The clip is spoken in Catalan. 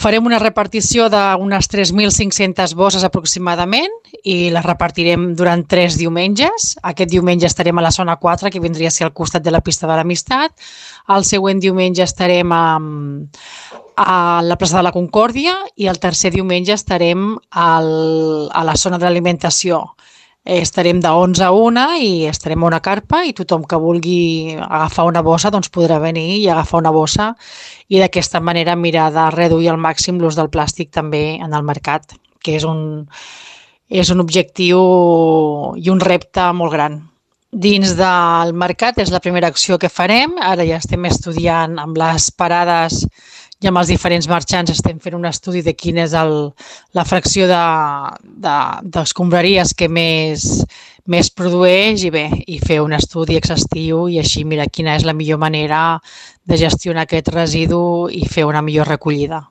Farem una repartició d'unes 3.500 bosses aproximadament i les repartirem durant 3 diumenges. Aquest diumenge estarem a la zona 4, que vindria a ser al costat de la pista de l'Amistat. El següent diumenge estarem a la plaça de la Concòrdia i el tercer diumenge estarem a la zona de l'alimentació. Estarem de 11 a 1 i estarem a una carpa i tothom que vulgui agafar una bossa doncs podrà venir i agafar una bossa i d'aquesta manera mirar de reduir al màxim l'ús del plàstic també en el mercat, que és un objectiu i un repte molt gran. Dins del mercat és la primera acció que farem. Ara ja estem estudiant amb les parades i amb els diferents marxants, estem fent un estudi de quina és la fracció d'escombraries que més produeix i fer un estudi exhaustiu i així mirar quina és la millor manera de gestionar aquest residu i fer una millor recollida.